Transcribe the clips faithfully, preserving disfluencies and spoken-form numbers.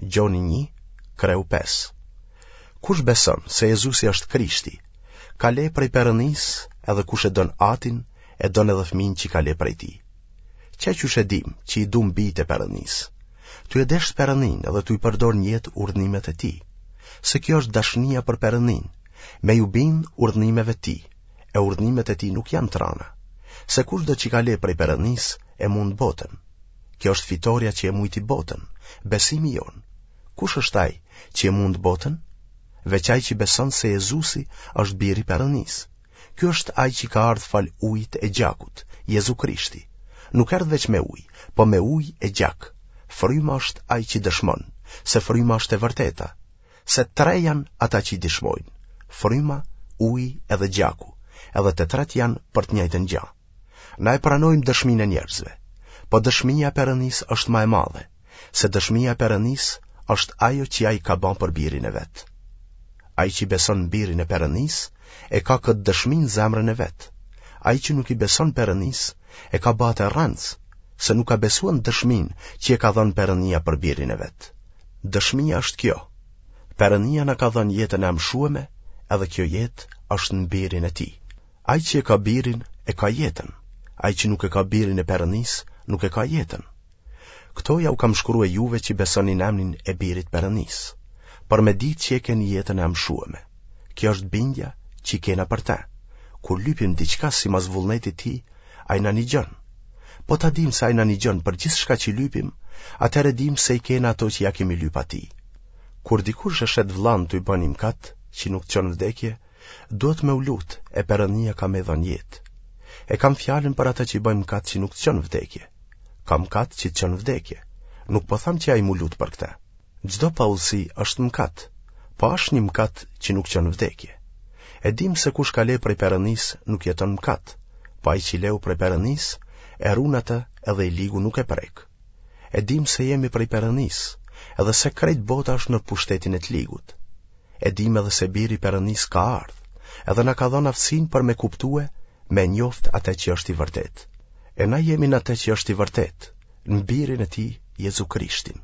Gjoni një, kreu pesë. Kush beson se Jezusi është Krishti, ka le prej Perënisë, edhe kush e don Atin, e don edhe fëmin që ka le prej tij. Qe qysh e dim që i dum bijtë e Perënisë? Tu e deshtë Perëninë edhe tu i përdor në jetë urdhnimet e tij. Se kjo është dashnia për Perëninë, me ju bind urdhnimeve të tij, e urdhnimet e tij nuk janë të rana. Se kushdo që ka le prej Perënisë, e mund botën. Kjo është fitorja që e mujti botën, besimi jonë. Kush është ai që e mund botën? Veç ai që beson se Jezusi është biri i Perënisë. Ky është ai që ka ardhë falë ujit e gjakut, Jezu Krishti. Nuk erdh veç me ujë, po me ujë e gjak. Fryma është ai që dëshmon, se fryma është e vërteta. Se tre janë ata që i dëshmojnë, fryma, uji edhe gjaku, edhe të tretë janë për të njëjtën gjë. Na e pranojmë dëshminë e njerëzve, po dëshmia e Perënisë është ma e madhe, se dëshmia e Perënisë është ajo që ai ka ba për birin e vet. Ai që beson në birin e Perënisë, e ka këtë dëshmi në zemrën e vet. Ai që nuk i beson Perënisë, e ka ba atë rrenc, se nuk ka besuar në dëshminë që e ka dhënë Perënia për birin e vet. Dëshmia është kjo: Perënia na ka dhënë jetën e amshueme, edhe kjo jetë është në birin e tij. Ai që e ka birin, e ka jetën. Ai që nuk e ka birin e Perënisë, nuk e ka jetën. Këto ja u kam shkrue juve që besoni në emrin e birit Perënisë, për me ditë që e keni jetën e amshueme. Kjo është bindja që kena për te. Kur lypim diçka simas vullnetit tij, ai na nigjon. Po ta dim se ai na nigjon për gjithçka që lypim, atëherë dim se i kena ato që ja kemi lyp atij. Kur dikush e shet vllanë tuj ba një mkat, që nuk të çon vdekje, duhet me u lut e Perënia ka me dhënë jetë. E kam fjalën për ata që bëjnë mkat që nuk të çon vdekje. Ka mkat që të çon vdekje. Nuk po tham që ai m'u lut për këtë. Çdo paudhësi është mkat, po është një mkat që nuk çon vdekje. E dim se kush ka le prej Perënisë nuk jeton mkat, po ai që leu prej Perënisë e run atë edhe i ligu nuk e prek. E dim se jemi prej Perënisë, edhe se krejt bota është në pushtetin e të ligut. E dim edhe se biri i Perënisë ka ardhë, edhe na ka dhënë aftësinë për me kuptue, me njoft atë që është i vërtet. E na jemi në atë që është i vërtet, në birin e tij, Jezu Krishtin.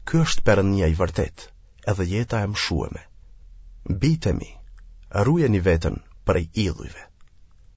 Ky është Perënia i vërtet, edhe jeta e amshueme. Bijtë e mi, rujeni veten prej idhujve.